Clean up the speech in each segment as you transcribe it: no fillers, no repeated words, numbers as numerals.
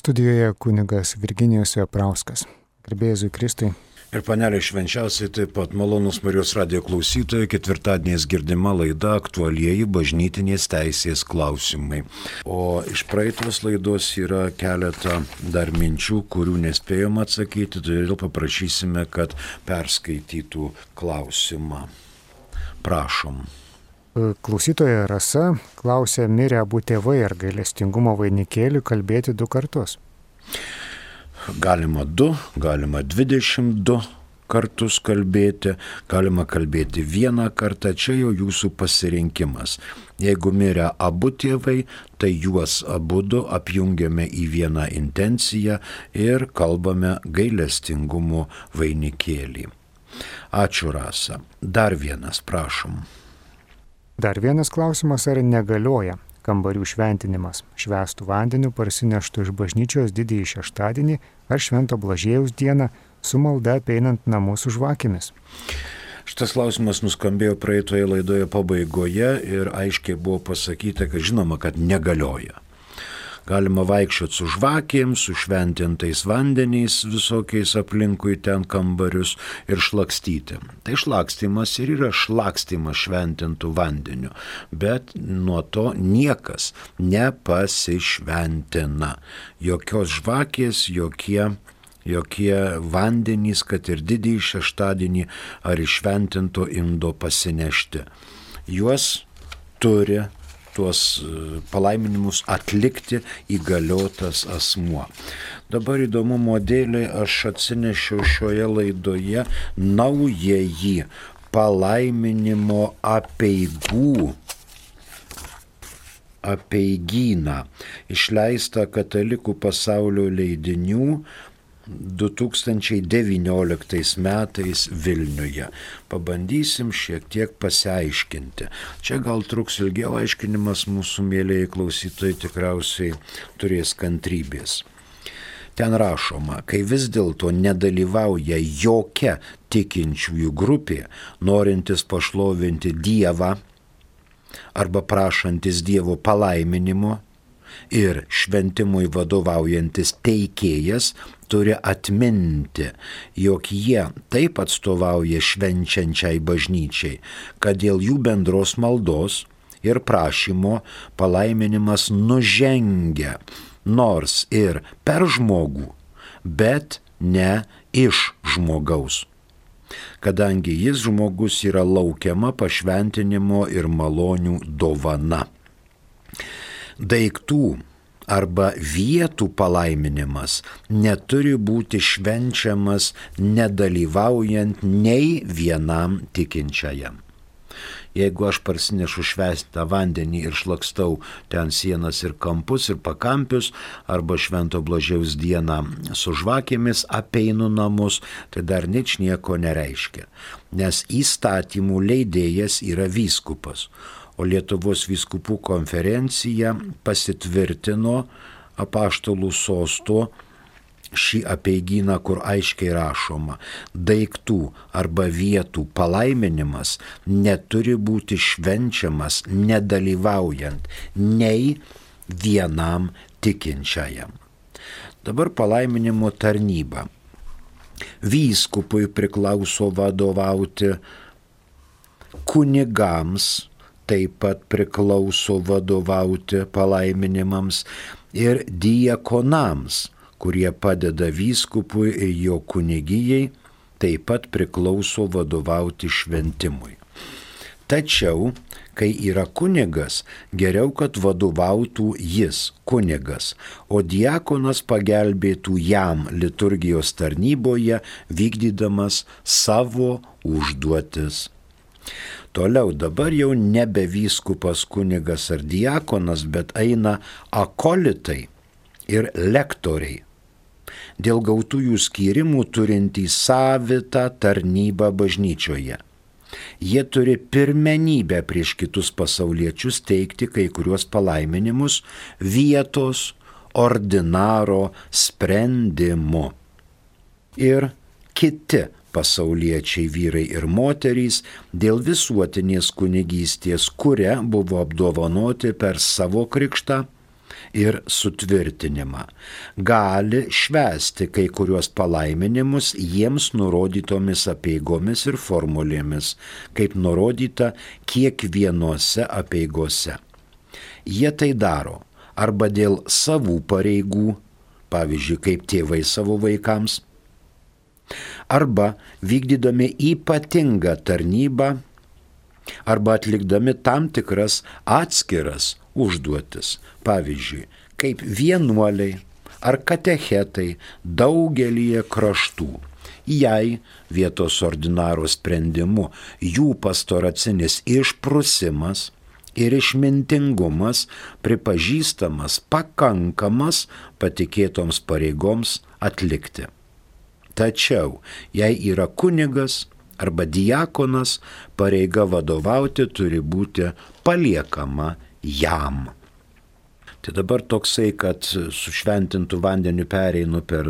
Studijoje kunigas Virginijus Veprauskas. Garbė Jėzui Kristui. Ir panelė švenčiausiai taip pat malonūs Marijos radijo klausytojai, ketvirtadieniais girdima laida aktualieji bažnytinės teisės klausimai. O iš praeitos laidos yra keletą dar minčių, kurių nespėjom atsakyti, todėl paprašysime, kad perskaitytų klausimą. Prašom. Klausytoja Rasa klausė, mirė abu tėvai, ar gailestingumo vainikėlį kalbėti 2 kartus? Galima 2, galima 22 kartus kalbėti, galima kalbėti 1 kartą, čia jau jūsų pasirinkimas. Jeigu mirė abu tėvai, tai juos abudu apjungiame į vieną intenciją ir kalbame gailestingumo vainikėlį. Ačiū, Rasa. Dar vienas, prašom. Dar vienas klausimas, ar negalioja kambarių šventinimas švęstų vandeniu parsineštų iš bažnyčios didįjį šeštadienį ar Švento Blažiejaus dieną su malda apeinant namus su žvakėmis? Šitas klausimas nuskambėjo praeitoje laidoje pabaigoje ir aiškiai buvo pasakyta, kad žinoma, kad negalioja. Galima vaikščioti su žvakėm, su šventintais vandeniais visokiais aplinkui ten kambarius ir šlakstyti. Tai šlakstymas ir yra šlakstymas šventintų vandeniu, bet nuo to niekas nepasišventina. Jokios žvakės, jokie vandenys, kad ir didįjį šeštadienį ar iš šventinto indo pasinešti. Juos turi tuos palaiminimus atlikti įgaliotas asmuo. Dabar įdomumo dėliai aš atsinešiau šioje laidoje naująjį palaiminimo apeigyną, išleistą Katalikų pasaulio leidinių 2019 metais Vilniuje. Pabandysim šiek tiek pasiaiškinti. Čia gal truks ilgiau aiškinimas, mūsų mėlėjai klausytojai tikriausiai turės kantrybės. Ten rašoma, kai vis dėlto nedalyvauja jokia tikinčiųjų grupė, norintis pašlovinti Dievą arba prašantis Dievo palaiminimo, ir šventimui vadovaujantis teikėjas turi atminti, jog jie taip atstovauja švenčiančiai bažnyčiai, kad dėl jų bendros maldos ir prašymo palaiminimas nužengia nors ir per žmogų, bet ne iš žmogaus, kadangi jis žmogus yra laukiama pašventinimo ir malonių dovana. Daiktų arba vietų palaiminimas neturi būti švenčiamas nedalyvaujant nei vienam tikinčiajam. Jeigu aš parsinešu švęstą vandenį ir šlakstau ten sienas ir kampus ir pakampius, arba Švento Blažiejaus dieną su žvakėmis apeinu namus, tai dar ničnieko nereiškia, nes įstatymų leidėjas yra vyskupas. O Lietuvos vyskupų konferencija pasitvirtino apaštalų sosto šį apeigyną, kur aiškiai rašoma, daiktų arba vietų palaiminimas neturi būti švenčiamas nedalyvaujant nei vienam tikinčiajam. Dabar palaiminimo tarnyba. Vyskupui priklauso vadovauti, kunigams taip pat priklauso vadovauti palaiminimams ir diakonams, kurie padeda vyskupui ir jo kunigijai, taip pat priklauso vadovauti šventimui. Tačiau, kai yra kunigas, geriau, kad vadovautų jis, kunigas, o diakonas pagelbėtų jam liturgijos tarnyboje, vykdydamas savo užduotis. Toliau dabar jau nebe vyskupas, kunigas ar diakonas, bet eina akolitai ir lektoriai. Dėl gautųjų skyrimų turintys savitą tarnybą bažnyčioje. Jie turi pirmenybę prieš kitus pasauliečius teikti kai kuriuos palaiminimus vietos ordinaro sprendimu. Ir kiti pasauliečiai vyrai ir moterys dėl visuotinės kunigystės, kuria buvo apdovanoti per savo krikštą, ir sutvirtinimą. Gali švęsti kai kuriuos palaiminimus jiems nurodytomis apeigomis ir formulėmis, kaip nurodyta kiekvienose apeigose. Jie tai daro arba dėl savų pareigų, pavyzdžiui, kaip tėvai savo vaikams, arba vykdydami ypatingą tarnybą, arba atlikdami tam tikras atskiras užduotis, pavyzdžiui, kaip vienuoliai ar katechetai daugelyje kraštų. Jei vietos ordinaro sprendimu jų pastoracinis išprusimas ir išmintingumas pripažįstamas pakankamas patikėtoms pareigoms atlikti. Tačiau, jei yra kunigas arba diakonas, pareiga vadovauti turi būti paliekama jam. Tai dabar toksai, kad su šventintu vandeniu pereinu per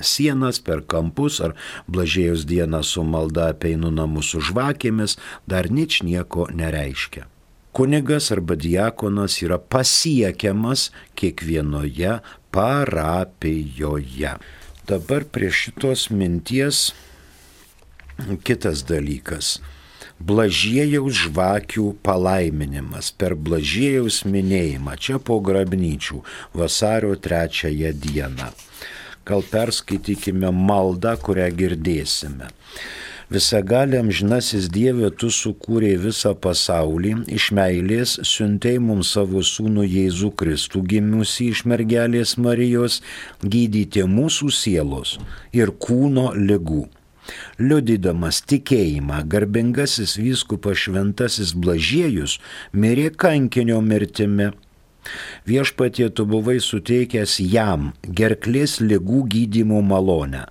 sienas, per kampus, ar Blažiejaus dieną su malda apeinu namus su žvakėmis, dar ničnieko nereiškia. Kunigas arba diakonas yra pasiekiamas kiekvienoje parapijoje. Dabar prie šitos minties kitas dalykas. Blažiejaus žvakių palaiminimas per Blažiejaus minėjimą čia po grabnyčių vasario 3 dieną. Gal perskaitykime maldą, kurią girdėsime. Visagali amžinasis Dieve, tu sukūrei visą pasaulį, iš meilės siuntei mums savo sūnų Jėzų Kristų, gimusį iš mergelės Marijos, gydyti mūsų sielos ir kūno ligų. Liudydamas tikėjimą, garbingasis vyskupas šventasis Blažiejus mirė kankinio mirtimi. Viešpatie, tu buvai suteikęs jam gerklės ligų gydymo malonę.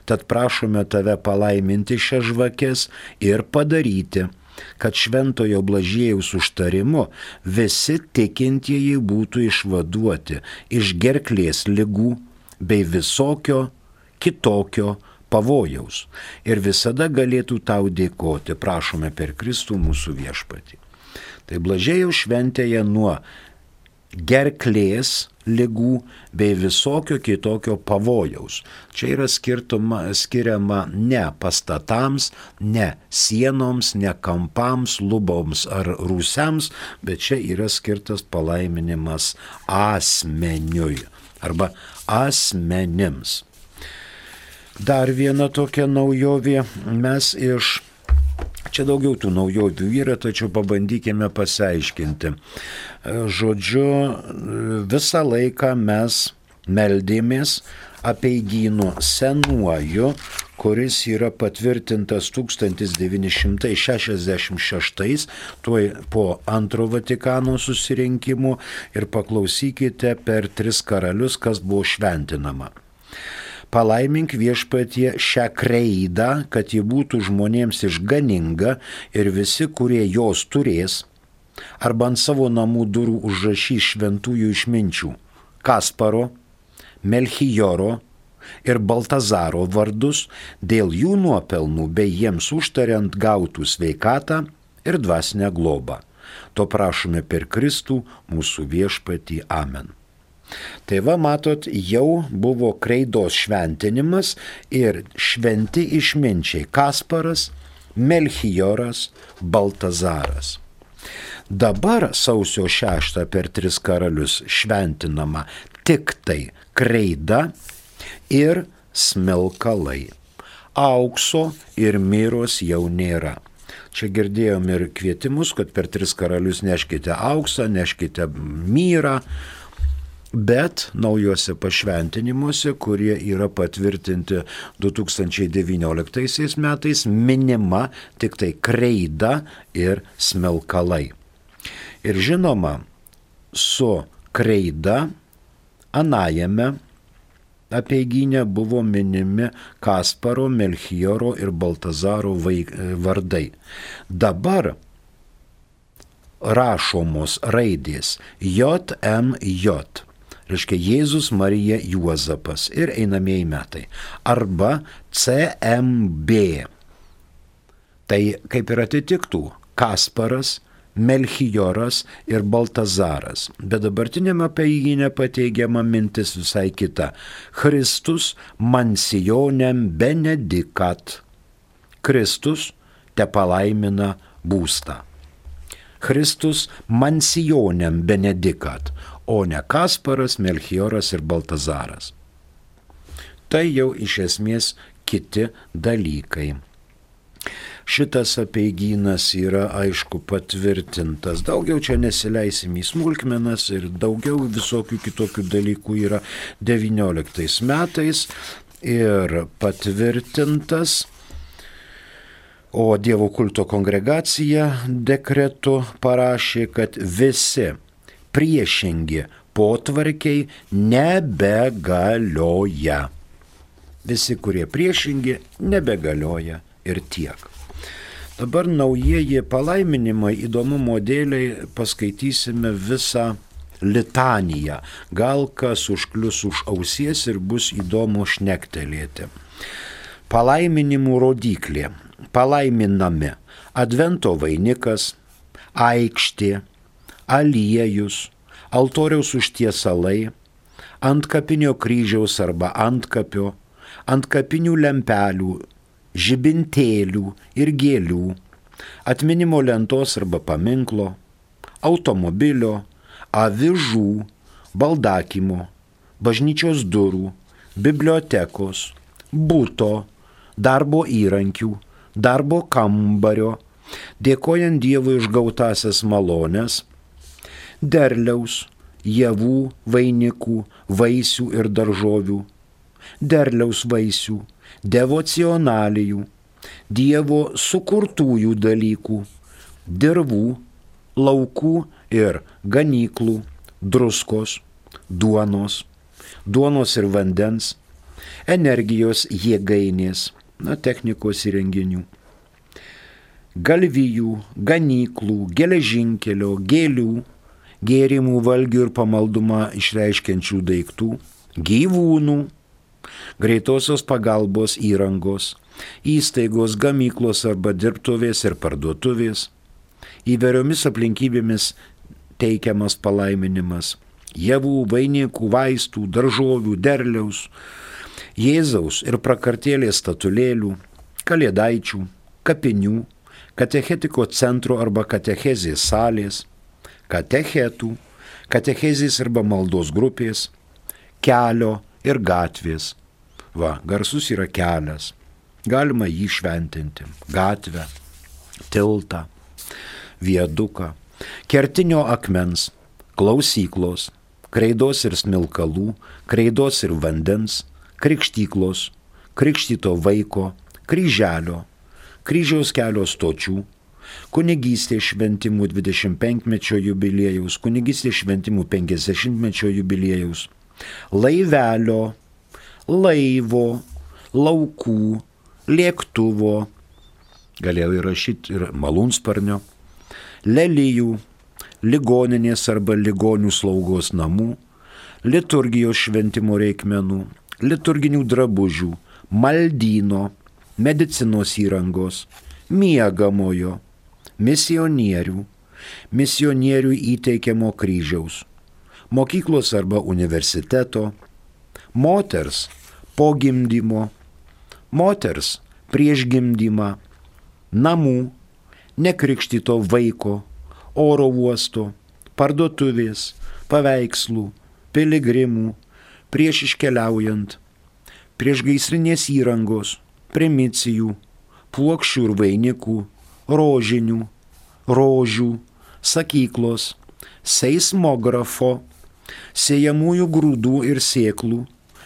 Tad prašome tave palaiminti šias žvakes ir padaryti, kad šventojo Blažiejaus užtarimu visi tikintieji būtų išvaduoti iš gerklės ligų bei visokio kitokio pavojaus ir visada galėtų tau dėkoti, prašome per Kristų mūsų viešpatį. Tai Blažiejaus šventėje nuo gerklės ligų bei visokio kitokio pavojaus. Čia yra skiriama ne pastatams, ne sienoms, ne kampams, luboms ar rūsiams, bet čia yra skirtas palaiminimas asmeniui arba asmenims. Dar viena tokia naujovė, čia daugiau tų naujovių yra, tačiau pabandykime pasiaiškinti. Žodžiu, visą laiką mes meldėmės apeigynu senuoju, kuris yra patvirtintas 1966, tuoj po antro Vatikano susirinkimų, ir paklausykite per 3 karalius, kas buvo šventinama. Palaimink viešpatie šią kreidą, kad ji būtų žmonėms išganinga ir visi, kurie jos turės, arba ant savo namų durų užrašys šventųjų išminčių Kasparo, Melchijoro ir Baltazaro vardus dėl jų nuopelnų bei jiems užtariant gautų sveikatą ir dvasinę globą. To prašome per Kristų mūsų viešpatį. Amen. Tai va, matot, jau buvo kreidos šventinimas ir šventi išminčiai Kasparas, Melchijoras, Baltazaras. Dabar sausio 6 per 3 karalius šventinama tik tai kreida ir smilkalai. Aukso ir miros jau nėra. Čia girdėjom ir kvietimus, kad per 3 karalius neškite auksą, neškite myrą, bet naujuose pašventinimuose, kurie yra patvirtinti 2019 metais, minima tik tai kreida ir smilkalai. Ir žinoma, su kreida anajame apeigyne buvo minimi Kasparo, Melchijoro ir Baltazaro vardai. Dabar rašomos raidės JMJ. Reiškia Jėzus, Marija, Juozapas ir einamieji metai. Arba CMB. Tai kaip ir atitiktų Kasparas, Melchioras ir Baltazaras. Bet dabartiniame apeigyne pateigiama mintis visai kita. Christus mansionem benedicat. Kristus te palaimina būstą. Christus mansionem benedicat, o ne Kasparas, Melchioras ir Baltazaras. Tai jau iš esmės kiti dalykai. Šitas apeigynas yra aišku patvirtintas. Daugiau čia nesileisim į smulkmenas ir daugiau visokių kitokių dalykų yra 19 metais ir patvirtintas. O Dievo kulto kongregacija dekretu parašė, kad visi priešingi potvarkiai nebegalioja. Visi, kurie priešingi, nebegalioja ir tiek. Dabar naujieji palaiminimai įdomumo dėliai paskaitysime visą litaniją. Gal kas užklius už ausies ir bus įdomu šnektelėti. Palaiminimų rodiklė. Palaiminami advento vainikas, aikštė, aliejus, altoriaus užtiesalai, antkapinio kryžiaus arba antkapio, antkapinių lempelių, žibintėlių ir gėlių, atminimo lentos arba paminklo, automobilio, avižų, baldakimo, bažnyčios durų, bibliotekos, buto, darbo įrankių, darbo kambario, dėkojant Dievui už gautasias malones, derliaus, javų, vainikų, vaisių ir daržovių, derliaus vaisių, devocionalijų, Dievo sukurtųjų dalykų, dirvų, laukų ir ganyklų, druskos, duonos ir vandens, energijos jėgainės, technikos įrenginių, galvijų, ganyklų, geležinkelio, gėlių, gėrimų, valgių ir pamaldumą išreiškiančių daiktų, gyvūnų, greitosios pagalbos įrangos, įstaigos, gamyklos arba dirbtuvės ir parduotuvės, įvairiomis aplinkybėmis teikiamas palaiminimas, javų, vainikų, vaistų, daržovių, derliaus, Jėzaus ir prakartėlės statulėlių, kalėdaičių, kapinių, katechetiko centro arba katechezės salės, katechetų, katechezės arba maldos grupės, kelio ir gatvės. Garsus yra kelias. Galima jį šventinti. Gatvę, tiltą, viaduką, kertinio akmens, klausyklos, kreidos ir smilkalų, kreidos ir vandens, krikštyklos, krikštyto vaiko, kryželio, kryžiaus kelio stočių, kunigystės šventimų 25-mečio jubiliejaus, kunigystės šventimų 50-mečio jubiliejaus, laivelio, laivo, laukų, lėktuvo, galėjau įrašyti ir malūnsparnio, lelijų, ligoninės arba ligonių slaugos namų, liturgijos šventimo reikmenų, liturginių drabužių, maldyno, medicinos įrangos, miegamojo, misionierių įteikiamo kryžiaus, mokyklos arba universiteto, moters po gimdymo, moters prieš gimdymą, namų, nekrikštyto vaiko, oro uosto, parduotuvės, paveikslų, piligrimų, prieš iškeliaujant, prieš gaisrinės įrangos, primicijų, puokščių ir vainikų, rožinių, rožių, sakyklos, seismografo, sėjamųjų grūdų ir sėklų,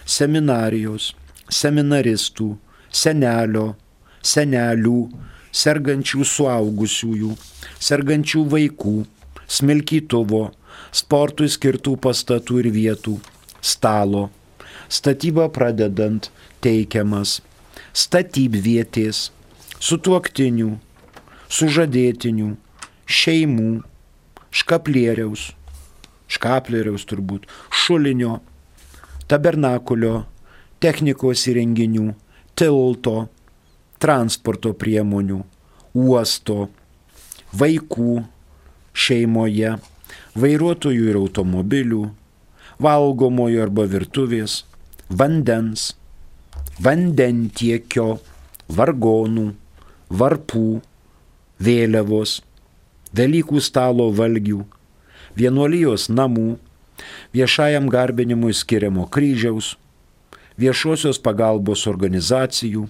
seminarijos, seminaristų, senelio, senelių, sergančių suaugusiųjų, sergančių vaikų, smilkytuvo, sportui skirtų pastatų ir vietų, stalo, statybą pradedant teikiamas, statybvietės, sutuoktinių, sužadėtinių, šeimų, škaplieriaus turbūt, šulinio, tabernakulio, technikos įrenginių, tilto, transporto priemonių, uosto, vaikų, šeimoje, vairuotojų ir automobilių, valgomojo arba virtuvės, vandens, vandentiekio, vargonų, varpų, vėliavos, Velykų stalo valgių, vienuolijos namų, viešajam garbinimui skiriamo kryžiaus, viešosios pagalbos organizacijų,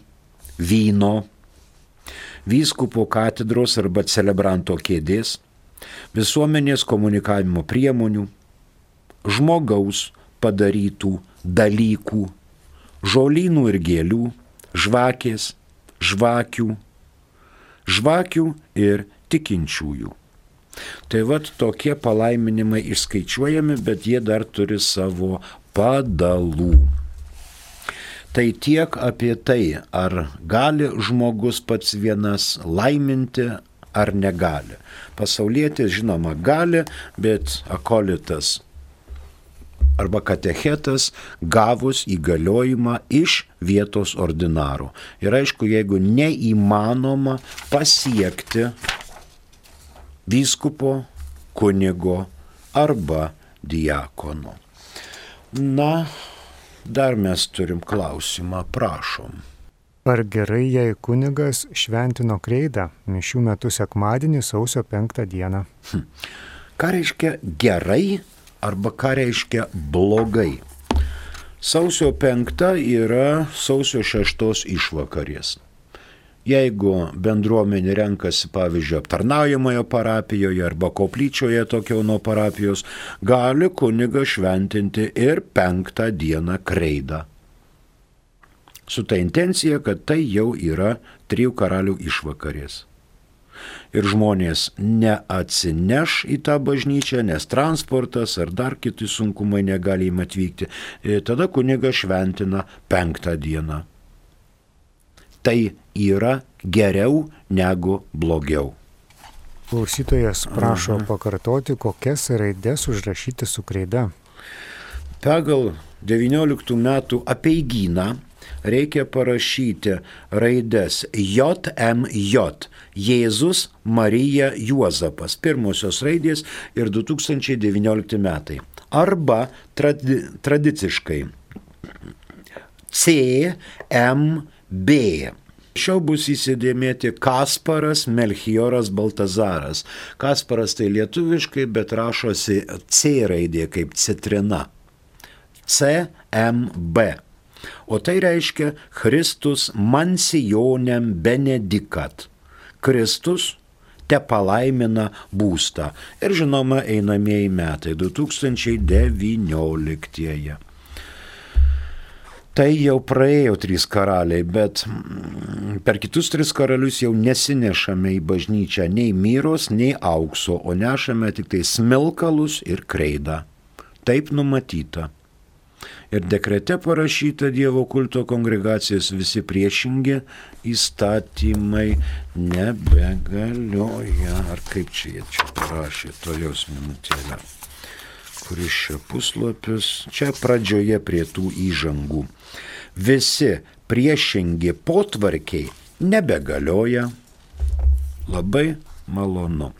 vyno, vyskupo katedros arba celebranto kėdės, visuomenės komunikavimo priemonių, žmogaus padarytų dalykų, žolynų ir gėlių, žvakės, žvakių, žvakių ir tikinčiųjų. Tai vat tokie palaiminimai išskaičiuojami, bet jie dar turi savo padalų. Tai tiek apie tai, ar gali žmogus pats vienas laiminti ar negali. Pasaulietis, žinoma, gali, bet akolitas arba katechetas gavus įgaliojimą iš vietos ordinaro. Ir aišku, jeigu neįmanoma pasiekti vyskupo, kunigo arba diakono. Na, dar mes turim klausimą, prašom. Ar gerai, jei kunigas šventino kreidą mišių metu sekmadienį sausio 5 dieną? Ką reiškia gerai arba ką reiškia blogai? Sausio 5 yra sausio 6 išvakarės. Jeigu bendruomenė renkasi, pavyzdžiui, aptarnaujamoje parapijoje arba koplyčioje tokio nuo parapijos, gali kunigas šventinti ir 5 dieną kreidą. Su ta intencija, kad tai jau yra 3 karalių išvakarės. Ir žmonės neatsineš į tą bažnyčią, nes transportas ar dar kiti sunkumai negali jiem atvykti. Tada kunigas šventina 5 dieną. Tai yra geriau negu blogiau. Klausytojas prašo pakartoti, kokias raides užrašyti su kreida. Pagal 19 metų apeigyną reikia parašyti raides JMJ, Jėzus, Marija, Juozapas, pirmosios raidės ir 2019 metai. Arba tradiciškai CMB. Šiau bus įsidėmėti Kasparas, Melchioras, Baltazaras. Kasparas tai lietuviškai, bet rašosi C raidė kaip citrina. CMB. O tai reiškia Christus mansionem benedicat. Kristus te palaimina būstą. Ir žinoma, einamieji metai 2019. Tai jau praėjo 3 karaliai, bet per kitus 3 karalius jau nesinešame į bažnyčią nei myros, nei aukso, o nešame tik tai smilkalus ir kreidą. Taip numatyta. Ir dekrete parašyta Dievo kulto kongregacijos visi priešingi įstatymai nebegalioja. Ar kaip čia parašė, toliaus minutėlę. Kuris čia puslapis, čia pradžioje prie tų įžangų. Visi priešingi potvarkiai nebegalioja. Labai malonu.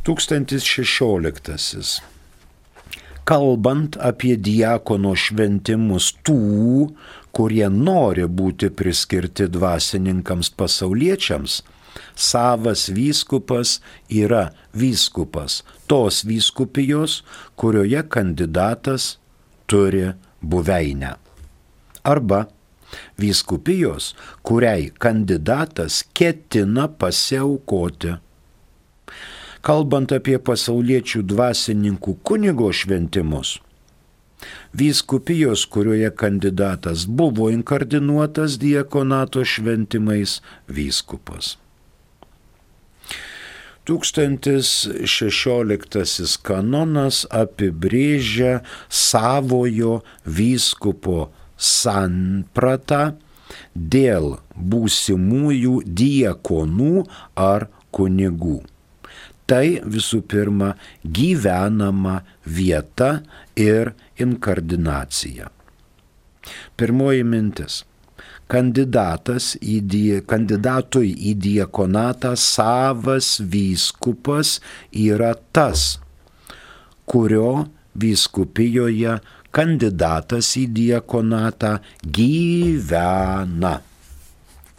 1016. Kalbant apie diakono šventimus tų, kurie nori būti priskirti dvasininkams pasauliečiams, savas vyskupas yra vyskupas tos vyskupijos, kurioje kandidatas turi buveinę. Arba vyskupijos, kuriai kandidatas ketina pasiaukoti. Kalbant apie pasauliečių dvasininkų kunigo šventimus, vyskupijos, kurioje kandidatas buvo inkardinuotas diakonato šventimais, vyskupas. 1016 kanonas apibrėžia savojo vyskupo sampratą dėl būsimųjų diakonų ar kunigų. Tai visų pirma gyvenama vieta ir inkardinacija. Pirmoji mintis. kandidatui į diakonatą savas vyskupas yra tas, kurio vyskupijoje kandidatas į diakonatą gyvena.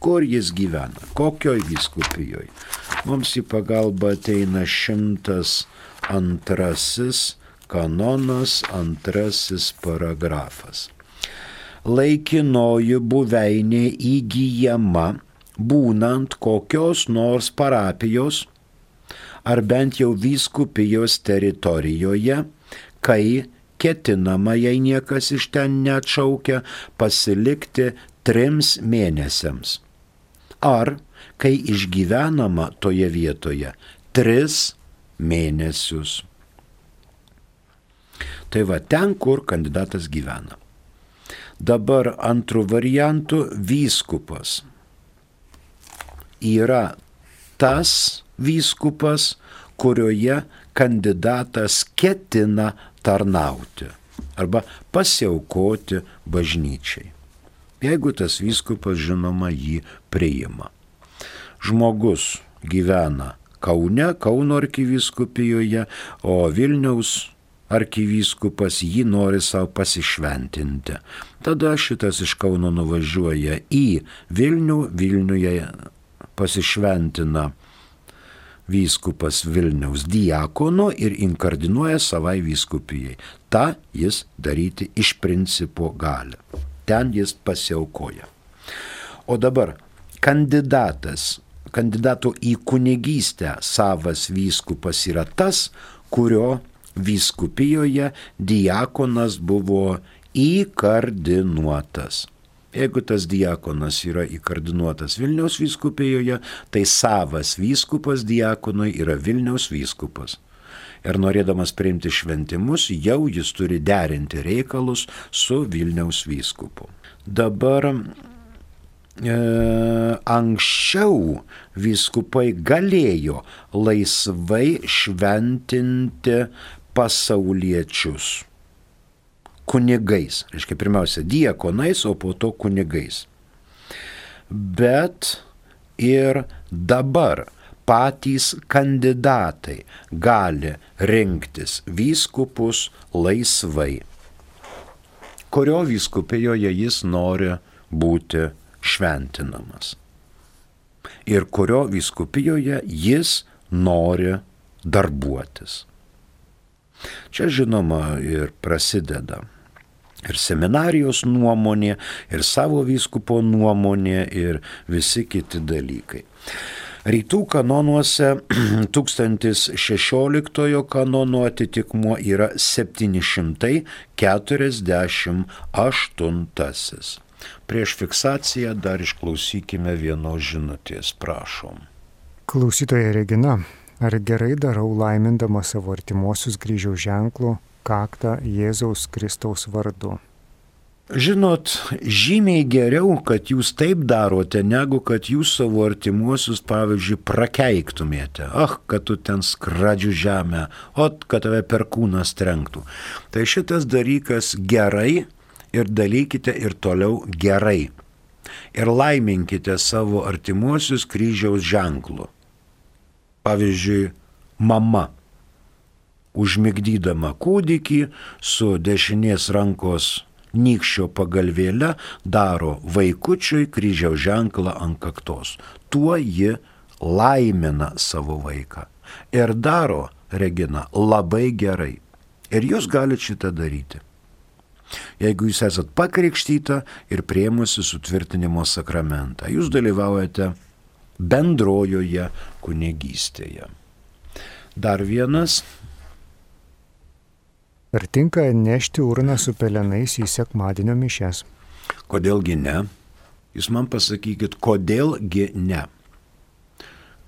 Kur jis gyvena? Kokioj vyskupijoje? Mums į pagalbą ateina 102 kanonas, 2 paragrafas. Laikinoji buveinė įgyjama būnant kokios nors parapijos ar bent jau vyskupijos teritorijoje, kai ketinama, jei niekas iš ten neatšaukia, pasilikti 3 mėnesiams. Ar kai išgyvenama toje vietoje 3 mėnesius. Tai va ten, kur kandidatas gyvena. Dabar antrų variantų vyskupas yra tas vyskupas, kurioje kandidatas ketina tarnauti arba pasiaukoti bažnyčiai. Jeigu tas vyskupas, žinoma, jį priima. Žmogus gyvena Kaune, Kauno arkivyskupijoje, o Vilniaus arkivyskupas jį nori savo pasišventinti. Tada šitas iš Kauno nuvažiuoja į Vilnių, Vilniuje pasišventina vyskupas Vilniaus diakono ir inkardinuoja savai vyskupijai. Ta jis daryti iš principo gali. Ten jis pasiaukoja. O dabar kandidato į kunigystę savas vyskupas yra tas, kurio vyskupijoje diakonas buvo įkardinuotas. Jeigu tas diakonas yra įkardinuotas Vilniaus vyskupijoje, tai savas vyskupas diakonui yra Vilniaus vyskupas. Ir norėdamas priimti šventimus, jau jis turi derinti reikalus su Vilniaus vyskupu. Dabar anksčiau vyskupai galėjo laisvai šventinti pasauliečius kunigais. Reiškia, pirmiausia diakonais, o po to kunigais. Bet ir dabar patys kandidatai gali rinktis vyskupus laisvai, kurio vyskupijoje jis nori būti šventinamas ir kurio vyskupijoje jis nori darbuotis. Čia žinoma ir prasideda ir seminarijos nuomonė, ir savo vyskupo nuomonė, ir visi kiti dalykai. Rytų kanonuose 1016 kanono atitikmuo yra 748. Prieš fiksaciją dar išklausykime vienos žinutės, prašom. Klausytoja Regina, ar gerai darau laimindama savo artimuosius kryžiaus ženklų kaktą Jėzaus Kristaus vardu? Žinot, žymiai geriau, kad jūs taip darote, negu kad jūs savo artimuosius, pavyzdžiui, prakeiktumėte. Kad tu ten skradžių žemę, kad tave per kūną trenktų. Tai šitas dalykas gerai ir darykite ir toliau gerai. Ir laiminkite savo artimuosius kryžiaus ženklu. Pavyzdžiui, mama, užmigdydama kūdikį su dešinės rankos nykščio pagalvėle daro vaikučiui kryžiaus ženklą ant kaktos. Tuo ji laimina savo vaiką. Ir daro, Regina, labai gerai. Ir jūs galite šitą daryti. Jeigu jūs esat pakrikštyta ir priėmusi sutvirtinimo sakramentą, jūs dalyvaujate bendrojoje kunigystėje. Dar vienas. Ar tinka nešti urną su pelenais į sekmadienio mišias? Kodėlgi ne? Jūs man pasakykit, kodėlgi ne?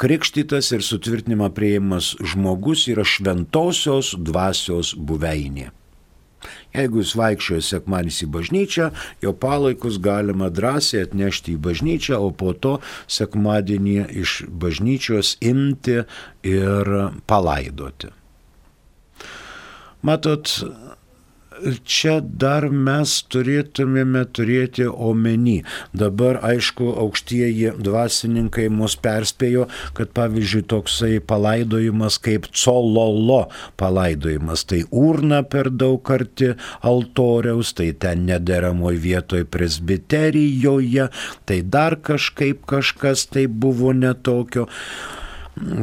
Krikštytas ir sutvirtinimą priėjimas žmogus yra šventosios dvasios buveinė. Jeigu jūs vaikščioja sekmadienis į bažnyčią, jo palaikus galima drąsiai atnešti į bažnyčią, o po to sekmadienį iš bažnyčios imti ir palaidoti. Matot, Čia dar mes turėtumėme turėti omeny. Dabar, aišku, aukštieji dvasininkai mus perspėjo, kad pavyzdžiui toksai palaidojimas kaip cololo palaidojimas, tai urna per daug arti altoriaus, tai ten nederamoj vietoj presbiterijoje, tai dar kažkas tai buvo netokio.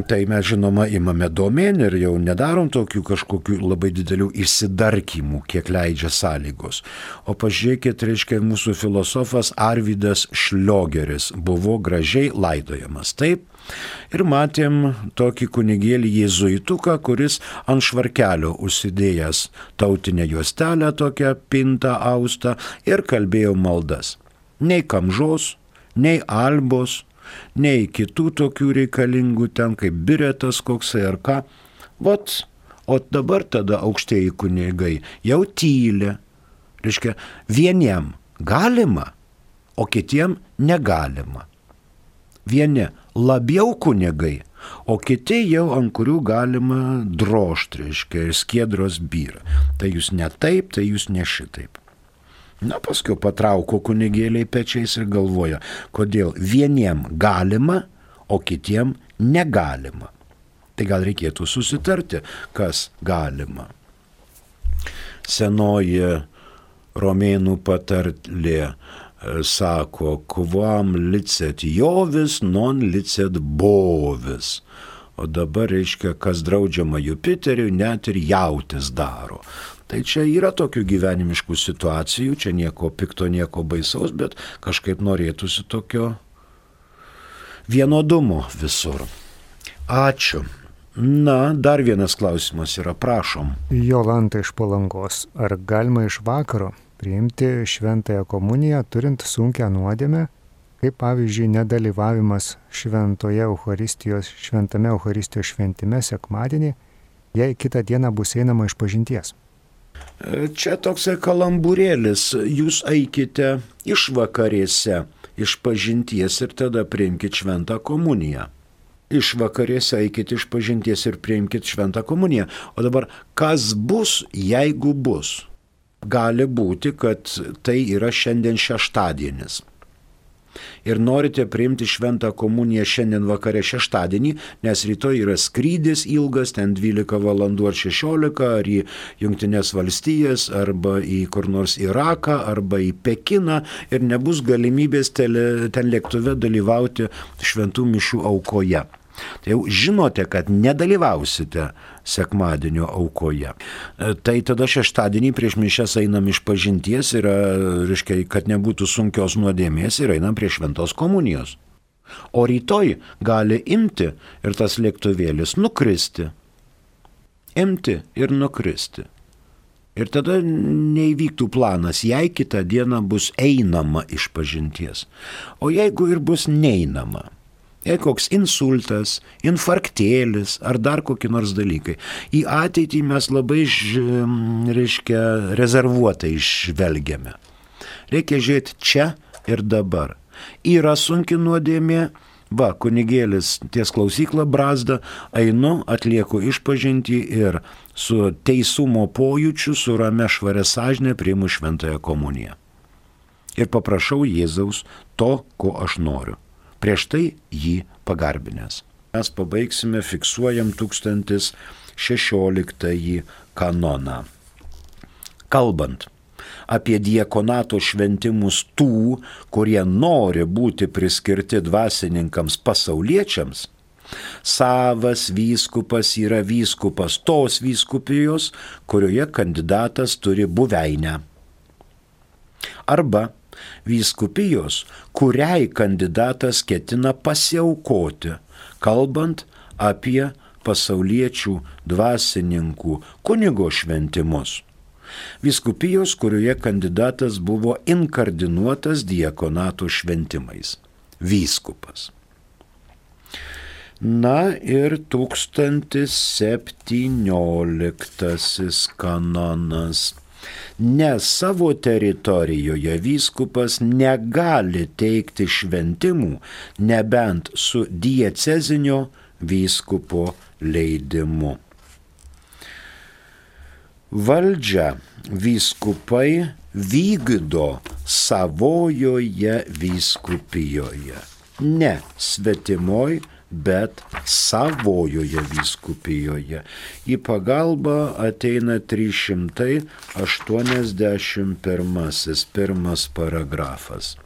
Tai mes žinoma imame domėn ir jau nedarom tokių kažkokių labai didelių išsidarkymų, kiek leidžia sąlygos. O pažiūrėkit, reiškia, mūsų filosofas Arvydas Šliogeris buvo gražiai laidojamas, taip? Ir matėm tokį kunigėlį jėzuituką, kuris ant švarkelio užsidėjęs tautinę juostelę, tokią pintą austą, ir kalbėjo maldas. Nei kamžos, nei albos, nei kitų tokių reikalingų ten, kaip biretas koksai ar ką. O dabar tada aukštieji kunigai jau tyli. Reiškia, vieniem galima, o kitiem negalima. Vieni labiau kunigai, o kiti jau ant kurių galima drožti, reiškia, ir skiedros byra. Tai jūs ne taip, tai jūs ne šitaip. Na, paskui patrauko kunigėliai pečiais ir galvoja, kodėl vieniem galima, o kitiem negalima. Tai gal reikėtų susitarti, kas galima. Senoji romėnų patarlė sako, quam licet jovis, non licet bovis. O dabar reiškia, kas draudžiama Jupiteriui, net ir jautis daro. Tai čia yra tokių gyvenimiškų situacijų, čia nieko pikto, nieko baisaus, bet kažkaip norėtųsi tokio vienodumo visur. Ačiū. Na, dar vienas klausimas yra, prašom. Jolanta iš Palangos. Ar galima iš vakaro priimti šventąją komuniją, turint sunkią nuodėmę, kaip pavyzdžiui nedalyvavimas šventame Eucharistijos šventime sekmadienį, jei kitą dieną bus einama išpažinties? Čia toksai kalambūrėlis, jūs eikite išvakarėse išpažinties ir tada priimkite šventą komuniją. Išvakarėse eikite išpažinties ir priimkite šventą komuniją. O dabar, kas bus, jeigu bus? Gali būti, kad tai yra šiandien šeštadienis. Ir norite priimti šventą komuniją šiandien vakare šeštadienį, nes rytoj yra skrydis ilgas, ten 12 valandų ar 16, ar į Jungtines valstijas, arba į kur nors Iraką, arba į Pekiną, ir nebus galimybės ten lėktuve dalyvauti šventų mišių aukoje. Tai jau žinote, kad nedalyvausite sekmadienio aukoje. Tai tada šeštadienį prieš mišias einam išpažinties, reiškia, kad nebūtų sunkios nuodėmės, ir einam prie šventos komunijos. O rytoj gali imti ir tas lėktuvėlis nukristi. Imti ir nukristi. Ir tada neįvyktų planas, jei kitą dieną bus einama išpažinties. O jeigu ir bus neinama, jei koks insultas, infarktėlis ar dar kokie nors dalykai, į ateitį mes labai, rezervuotai žvelgiame. Reikia žiūrėti čia ir dabar. Yra sunki nuodėmė, kunigėlis ties klausyklą brazda, einu, atlieku išpažintį ir su teisumo pojūčiu, su ramia švaria sąžine priimu šventąją komuniją. Ir paprašau Jėzaus to, ko aš noriu. Prieš tai jį pagarbinęs. Mes pabaigsime, fiksuojam 1016 kanoną. Kalbant apie diakonato šventimus tų, kurie nori būti priskirti dvasininkams pasauliečiams, savas vyskupas yra vyskupas tos vyskupijos, kurioje kandidatas turi buveinę. Arba vyskupijos, kuriai kandidatas ketina pasiaukoti, kalbant apie pasauliečių dvasininkų kunigo šventimus. Vyskupijos, kurioje kandidatas buvo inkardinuotas diakonato šventimais. Vyskupas. Na ir 1017 kanonas. Nes savo teritorijoje vyskupas negali teikti šventimų, nebent su diecezinio vyskupo leidimu. Valdžią vyskupai vykdo savojoje vyskupijoje. Ne svetimoj, bet savojoje vyskupijoje. Į pagalbą ateina 381 pirmas paragrafas.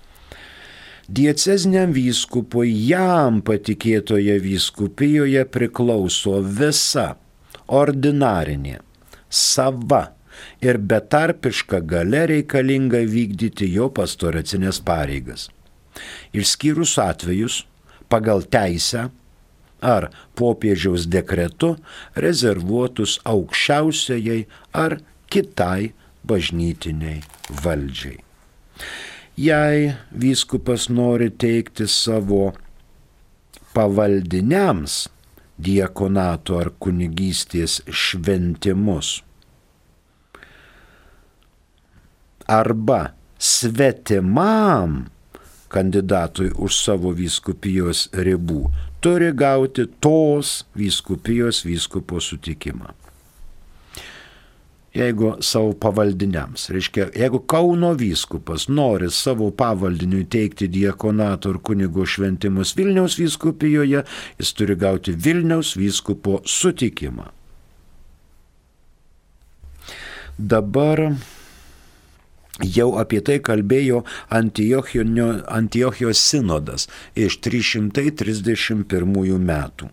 Dieceziniam vyskupui jam patikėtoje vyskupijoje priklauso visa ordinarinė, sava ir betarpiška galia reikalinga vykdyti jo pastoracinės pareigas. Išskyrus atvejus pagal teisę ar popiežiaus dekretu rezervuotus aukščiausiajai ar kitai bažnytiniai valdžiai. Jei vyskupas nori teikti savo pavaldiniams diakonato ar kunigystės šventimus arba svetimam kandidatui už savo vyskupijos ribų, turi gauti tos vyskupijos vyskupo sutikimą. Jeigu savo pavaldiniams, reiškia, jeigu Kauno vyskupas nori savo pavaldiniui teikti diakonato ir kunigo šventimus Vilniaus vyskupijoje, jis turi gauti Vilniaus vyskupo sutikimą. Dabar jau apie tai kalbėjo Antiochijos sinodas iš 331 metų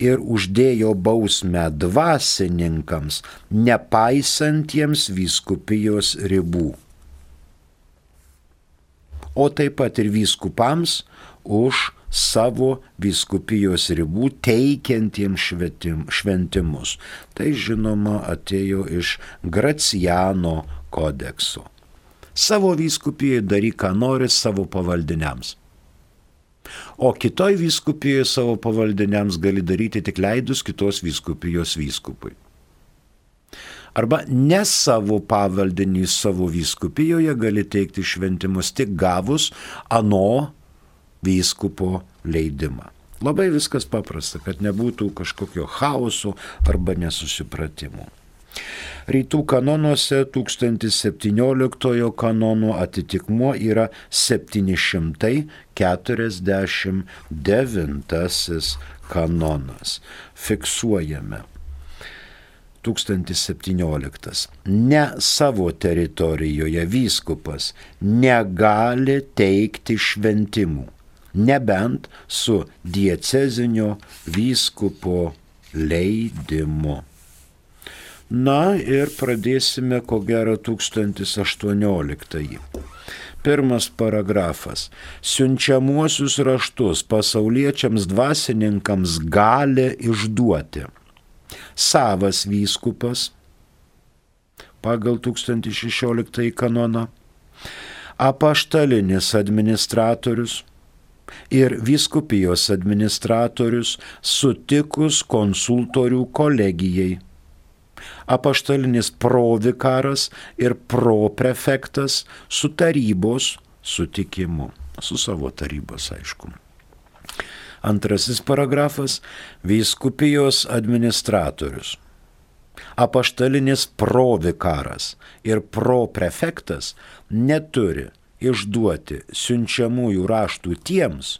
ir uždėjo bausmę dvasininkams, nepaisantiems vyskupijos ribų, o taip pat ir vyskupams už savo vyskupijos ribų teikiantiems šventimus. Tai žinoma atėjo iš Graciano kodekso. Savo vyskupijai daryk, ką nori savo pavaldiniams. O kitoj vyskupijoje savo pavaldiniams gali daryti tik leidus kitos vyskupijos vyskupui. Arba ne savo pavaldinį savo vyskupijoje gali teikti šventimus tik gavus ano vyskupo leidimą. Labai viskas paprasta, kad nebūtų kažkokio chaoso arba nesusipratimų. Rytų kanonuose 1017 kanono atitikmuo yra 749 kanonas. Fiksuojame. 1017. Ne savo teritorijoje vyskupas negali teikti šventimų, nebent su diecezinio vyskupo leidimu. Na ir pradėsime ko gero 1018. Pirmas paragrafas. Siunčiamuosius raštus pasauliečiams dvasininkams gali išduoti savas vyskupas pagal 1016 kanoną, apaštalinis administratorius ir vyskupijos administratorius sutikus konsultorių kolegijai, apaštalinis provikaras ir proprefektas su tarybos sutikimu, su savo tarybos aišku. Antrasis paragrafas – vyskupijos administratorius, apaštalinis provikaras ir proprefektas neturi išduoti siunčiamųjų raštų tiems,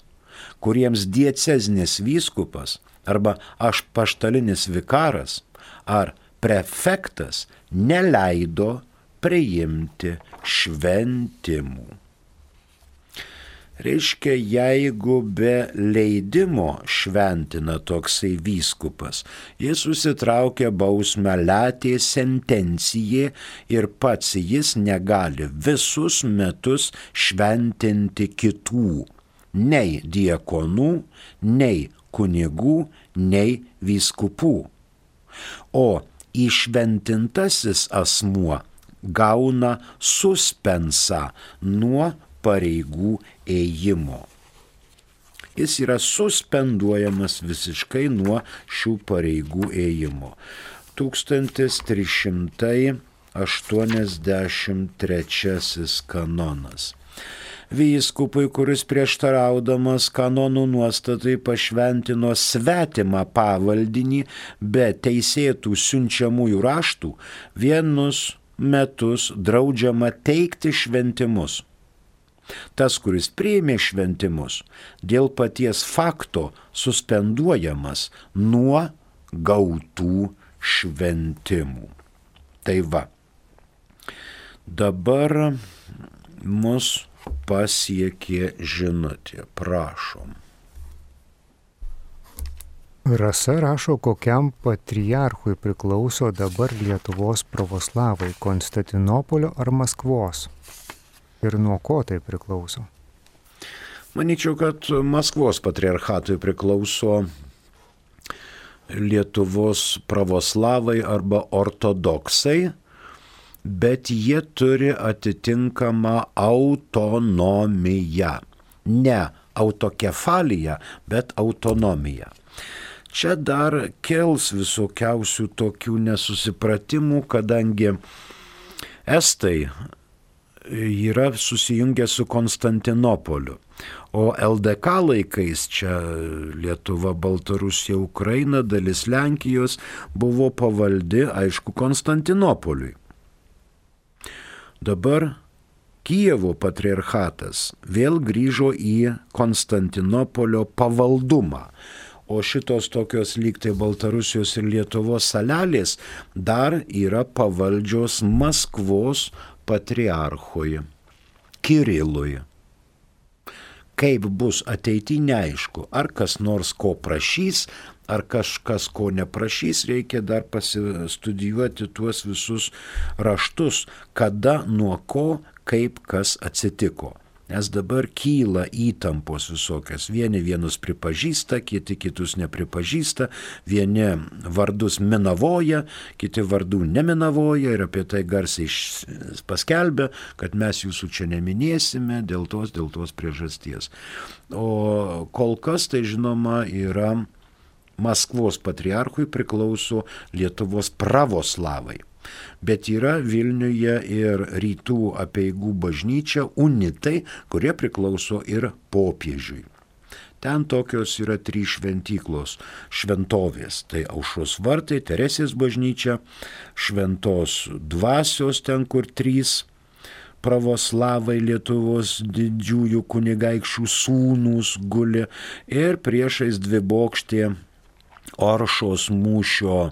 kuriems diecezinis vyskupas arba apaštalinis vikaras ar prefektas neleido priimti šventimų. Reiškia, jeigu be leidimo šventina toksai vyskupas, jis susitraukia bausmę latė sentencijai ir pats jis negali visus metus šventinti kitų, nei diakonų, nei kunigų, nei vyskupų. O įšventintasis asmuo gauna suspensą nuo pareigų ėjimo. Jis yra suspenduojamas visiškai nuo šių pareigų ėjimo. 1383 kanonas. vyskupui, kuris prieštaraudamas kanonų nuostatai pašventino svetimą pavaldinį be teisėtų siunčiamųjų raštų, vienus metus draudžiama teikti šventimus. Tas, kuris priėmė šventimus, dėl paties fakto suspenduojamas nuo gautų šventimų. Tai va, dabar mus pasiekė žinutė, prašom. Rasa rašo, kokiam patriarchui priklauso dabar Lietuvos pravoslavai – Konstantinopolio ar Maskvos? Ir nuo ko tai priklauso? Manyčiau, kad Maskvos patriarchatui priklauso Lietuvos pravoslavai arba ortodoksai, bet jie turi atitinkamą autonomiją. Ne autokefaliją, bet autonomiją. Čia dar kels visokiausių tokių nesusipratimų, kadangi estai yra susijungę su Konstantinopoliu, o LDK laikais čia Lietuva, Baltarusija, Ukraina, dalis Lenkijos buvo pavaldi, aišku, Konstantinopoliui. Dabar Kijevo patriarchatas vėl grįžo į Konstantinopolio pavaldumą. O šitos tokios lygtai Baltarusijos ir Lietuvos salelės dar yra pavaldžios Maskvos patriarchui Kirilui. Kaip bus ateity neaišku, ar kas nors ko prašys, ar kažkas ko neprašys, reikia dar pasistudijuoti tuos visus raštus, kada, nuo ko, kaip kas atsitiko. Nes dabar kyla įtampos visokios. Vieni vienus pripažįsta, kiti kitus nepripažįsta, vieni vardus minavoja, kiti vardų neminavoja ir apie tai garsiai paskelbia, kad mes jūsų čia neminėsime dėl tos priežasties. O kol kas tai žinoma yra Maskvos patriarchui priklauso Lietuvos pravoslavai. Bet yra Vilniuje ir rytų apeigų bažnyčia unitai, kurie priklauso ir popiežiui. Ten tokios yra 3 šventyklos šventovės. Tai Aušros vartai, Teresės bažnyčia, Šventos dvasios ten, kur 3 pravoslavai Lietuvos didžiųjų kunigaikščių sūnūs guli ir priešais 2 bokštė Oršos mūšio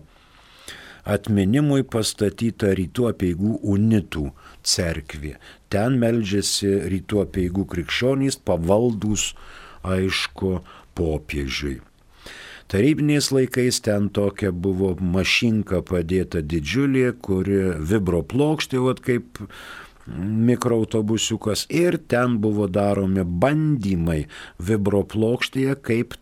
atminimui pastatyta rytų apeigų unitų cerkvė. Ten meldžiasi rytų apeigų krikščionys pavaldūs, aišku, popiežiui. Tarybiniais laikais ten tokia buvo mašinka padėta didžiulė, kuri vibroplokštė, kaip mikroautobusiukas, ir ten buvo daromi bandymai vibroplokštėje, kaip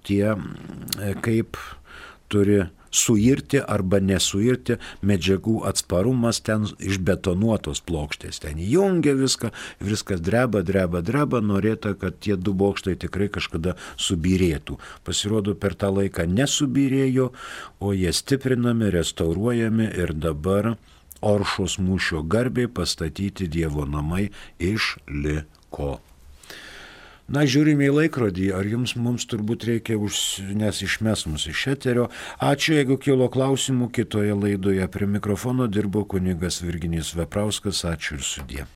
turi suirti arba nesuirti medžiagų atsparumas ten išbetonuotos plokštės. Ten jungia viskas dreba, norėta, kad tie 2 bokštai tikrai kažkada subyrėtų. Pasirodo, per tą laiką nesubyrėjo, o jie stiprinami, restauruojami ir dabar Oršos mūšio garbei pastatyti Dievo namai išliko. Na, žiūrime į laikrodį, ar mums turbūt reikia, nes išmes mus iš eterio. Ačiū, jeigu kilo klausimų, kitoje laidoje prie mikrofono dirbo kunigas Virginijus Veprauskas. Ačiū ir sudie.